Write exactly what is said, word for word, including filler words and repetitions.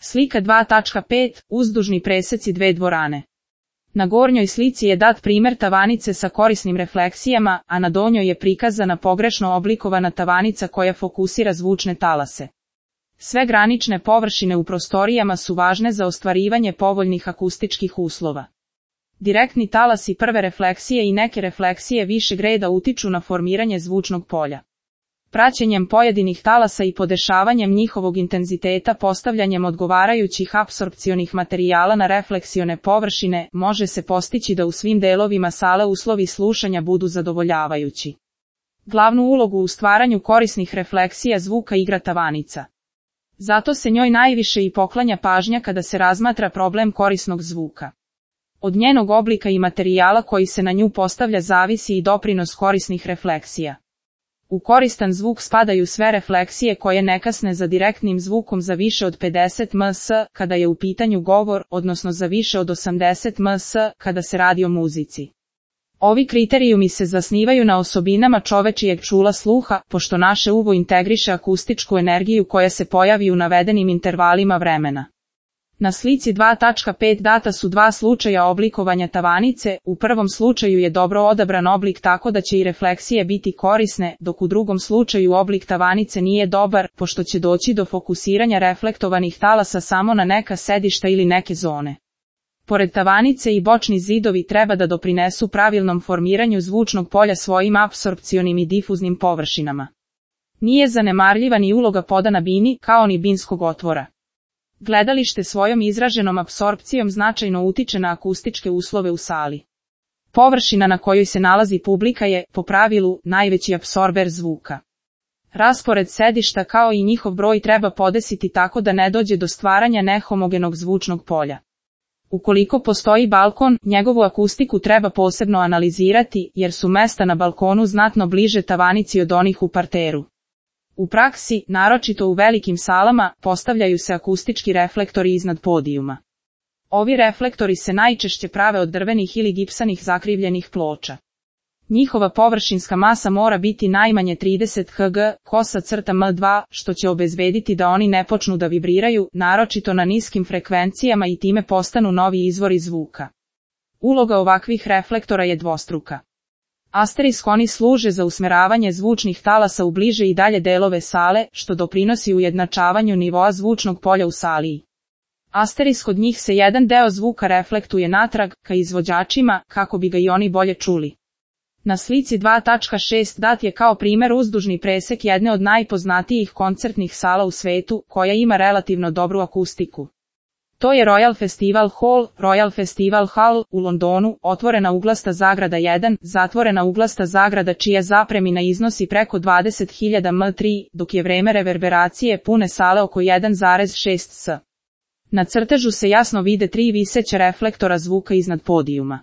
Slika dva tačka pet. Uzdužni preseci dve dvorane. Na gornjoj slici je dat primer tavanice sa korisnim refleksijama, a na donjoj je prikazana pogrešno oblikovana tavanica koja fokusira zvučne talase. Sve granične površine u prostorijama su važne za ostvarivanje povoljnih akustičkih uslova. Direktni talasi prve refleksije i neke refleksije višeg reda utiču na formiranje zvučnog polja. Praćenjem pojedinih talasa i podešavanjem njihovog intenziteta postavljanjem odgovarajućih apsorpcionih materijala na refleksione površine može se postići da u svim delovima sale uslovi slušanja budu zadovoljavajući. Glavnu ulogu u stvaranju korisnih refleksija zvuka igra tavanica. Zato se njoj najviše i poklanja pažnja kada se razmatra problem korisnog zvuka. Od njenog oblika i materijala koji se na nju postavlja zavisi i doprinos korisnih refleksija. U koristan zvuk spadaju sve refleksije koje ne kasne za direktnim zvukom za više od pedeset mS kada je u pitanju govor, odnosno za više od osamdeset mS kada se radi o muzici. Ovi kriterijumi se zasnivaju na osobinama čovečijeg čula sluha, pošto naše uvo integriše akustičku energiju koja se pojavi u navedenim intervalima vremena. Na slici dva tačka pet data su dva slučaja oblikovanja tavanice, u prvom slučaju je dobro odabran oblik tako da će i refleksije biti korisne, dok u drugom slučaju oblik tavanice nije dobar, pošto će doći do fokusiranja reflektovanih talasa samo na neka sedišta ili neke zone. Pored tavanice i bočni zidovi treba da doprinesu pravilnom formiranju zvučnog polja svojim apsorpcionim i difuznim površinama. Nije zanemarljiva ni uloga poda na bini, kao ni binskog otvora. Gledalište svojom izraženom apsorpcijom značajno utiče na akustičke uslove u sali. Površina na kojoj se nalazi publika je, po pravilu, najveći apsorber zvuka. Raspored sedišta kao i njihov broj treba podesiti tako da ne dođe do stvaranja nehomogenog zvučnog polja. Ukoliko postoji balkon, njegovu akustiku treba posebno analizirati, jer su mesta na balkonu znatno bliže tavanici od onih u parteru. U praksi, naročito u velikim salama, postavljaju se akustički reflektori iznad podijuma. Ovi reflektori se najčešće prave od drvenih ili gipsanih zakrivljenih ploča. Njihova površinska masa mora biti najmanje trideset kilograma, kosa crta em dva, što će obezbediti da oni ne počnu da vibriraju, naročito na niskim frekvencijama i time postanu novi izvori zvuka. Uloga ovakvih reflektora je dvostruka. Asterisk oni služe za usmeravanje zvučnih talasa u bliže i dalje delove sale, što doprinosi ujednačavanju nivoa zvučnog polja u sali. Asterisk od njih se jedan deo zvuka reflektuje natrag, ka izvođačima, kako bi ga i oni bolje čuli. Na slici dva tačka šest dat je kao primer uzdužni presek jedne od najpoznatijih koncertnih sala u svetu, koja ima relativno dobru akustiku. To je Royal Festival Hall, Royal Festival Hall, u Londonu, otvorena uglasta zagrada jedan, zatvorena uglasta zagrada čija zapremina iznosi preko dvadeset hiljada metara, dok je vreme reverberacije pune sale oko jedan zarez šest sati. Na crtežu se jasno vide tri viseća reflektora zvuka iznad podijuma.